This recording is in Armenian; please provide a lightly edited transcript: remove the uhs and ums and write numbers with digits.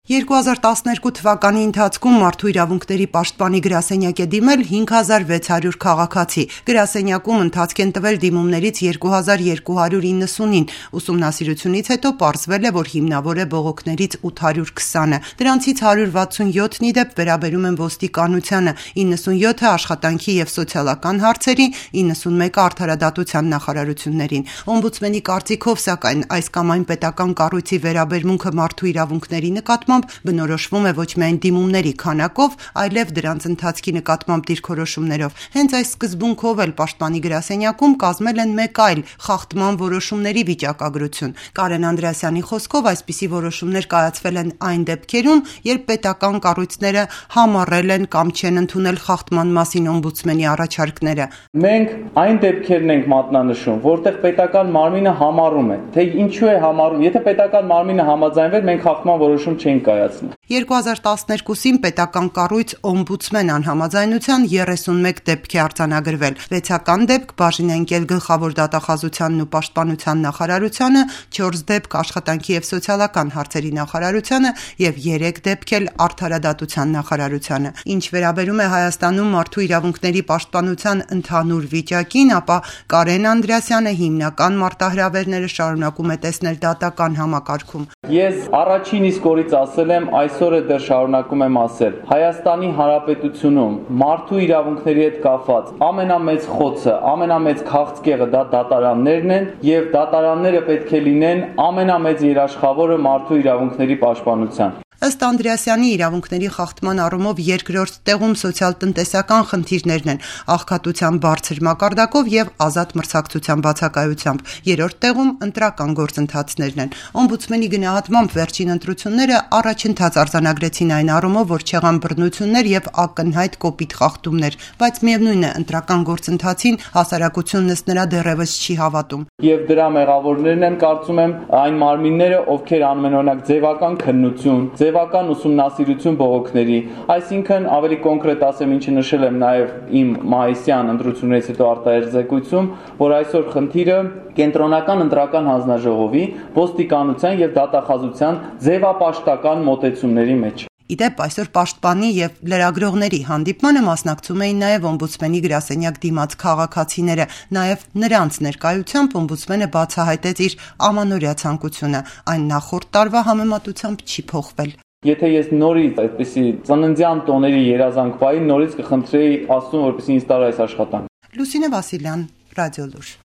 2012 թվականի ընթացքում Մարդու իրավունքների պաշտպանի գրասենյակ է դիմել 5600 քաղաքացի։ Գրասենյակում ընթացք են տվել դիմումներից 2290-ին։ Ուսումնասիրությունից հետո պարզվել է, որ հիմնավոր է բողոքներից 820-ը։ Դրանցից 167-ի դեպ վերաբերում են ոստիկանությանը, 97-ը աշխատանքի և սոցիալական հարցերի, 91-ը արդարադատության նախարարություններին։ Օմբուդսմենի կարծիքով, սակայն, այս կամ այն պետական կառույցի վերաբերմունքը մարդու իրավունքների նկատմամբ բնորոշվում է ոչ միայն դիմումների քանակով, այլև դրանց ընթացքի նկատմամբ դիրքորոշումներով։ Հենց այս սկզբունքով էլ Պաշտպանի գրասենյակում կազմել են մեկ այլ խախտման որոշումների վիճակագրություն։ Կարեն Անդրեասյանի խոսքով, այսպիսի որոշումներ կայացվել են այն դեպքերում, երբ պետական կառույցները համառել են կամ չեն ընդունել խախտման մասին օմբուդսմենի առաջարկները։ Մենք այն դեպքերն ենք մատնանշում, որտեղ պետական մարմինը համառում է, թե ինչու է համառում։ Եթե պետական մարմինը համաձայնվեր, մենք խախտման որոշում չենք կայացնել։ 2012-ին պետական կառույց օմբուդսմեն անհամաձայնության 31 դեպք է արձանագրվել։ 6-ական դեպք բաժին է ընկել Գլխավոր դատախազությանն ու Պաշտպանության նախարարությանը, 4 դեպք Աշխատանքի և սոցիալական հարցերի նախարարությանը և 3 դեպք էլ Արդարադատության նախարարությանը։ Ինչ վերաբերում է Հայաստանում մարդու իրավունքների պաշտպանության ընդհանուր վիճակին, ապա Կարեն Անդրեասյանը հիմնական մարտահրավերները շարունակում է տեսնել դատական համակարգում։ Ես առաջին իսկ օրից ասել եմ, այսօր է դեռ շարունակում եմ ասել, Հայաստանի Հանրապետությունում մարդու իրավունքների հետ կապված ամենամեծ խոցը, ամենամեծ քաղցկեղը դա դատարաններն են, եւ դատարանները պետք է լինեն ամենամեծ երաշխավորը մարդու իրավունքների պաշտպանության։ Ըստ Անդրեասյանի, իրավունքների խախտման առումով երկրորդ տեղում սոցիալ-տնտեսական խնդիրներն են՝ աղքատության բարձր մակարդակով եւ ազատ մրցակցության բացակայությամբ։ Երրորդ տեղում ընտրական գործընթացներն են։ Օմբուդսմենի գնահատմամբ վերջին ընտրությունները առաջընթաց արձանագրեցին այն առումով, որ չեղան բռնություններ եւ ակնհայտ կոպիտ խախտումներ, բայց միևնույն է, ընտրական գործընթացին հասարակությունն ըստ նրա դեռևս չի հավատում։ Եվ դրա մեղավորներն են, կարծում եմ, այն մարմինները, ովքեր անմենօրինակ ձևական քննություն, ձևական ուսումնասիրություն բողոքների, այսինքն ավելի կոնկրետ ասեմ, ինչը նշել եմ նաև իմ մայիսյան ընտրություններից հետո արտահերձեկույցում, որ այսօր խնդիրը կենտրոնական ընտրական հանձնաժողովի, ոստիկանության եւ դատախազության ձևապաշտական մոտեցումների մեջ։ Իդեպ այսօր պաշտպանի եւ լրագրողների հանդիպմանը մասնակցում էին նաեւ օմբուդսմենի գրասենյակ դիմաց քաղաքացիները, նաեւ նրանց ներկայությամբ օմբուդսմենը բացահայտեց իր ամանորյա ցանկությունը, այն նախորդ տարվա համեմատությամբ չի փոխվել։ Եթե ես նորից այդպիսի ծննդյան տոների երազանք պայի, նորից կխնդրեի Աստծուն, որպեսզի ինձ տար այս աշխատանքը։ Լուսինե Վասիլյան, Ռադիոլուր։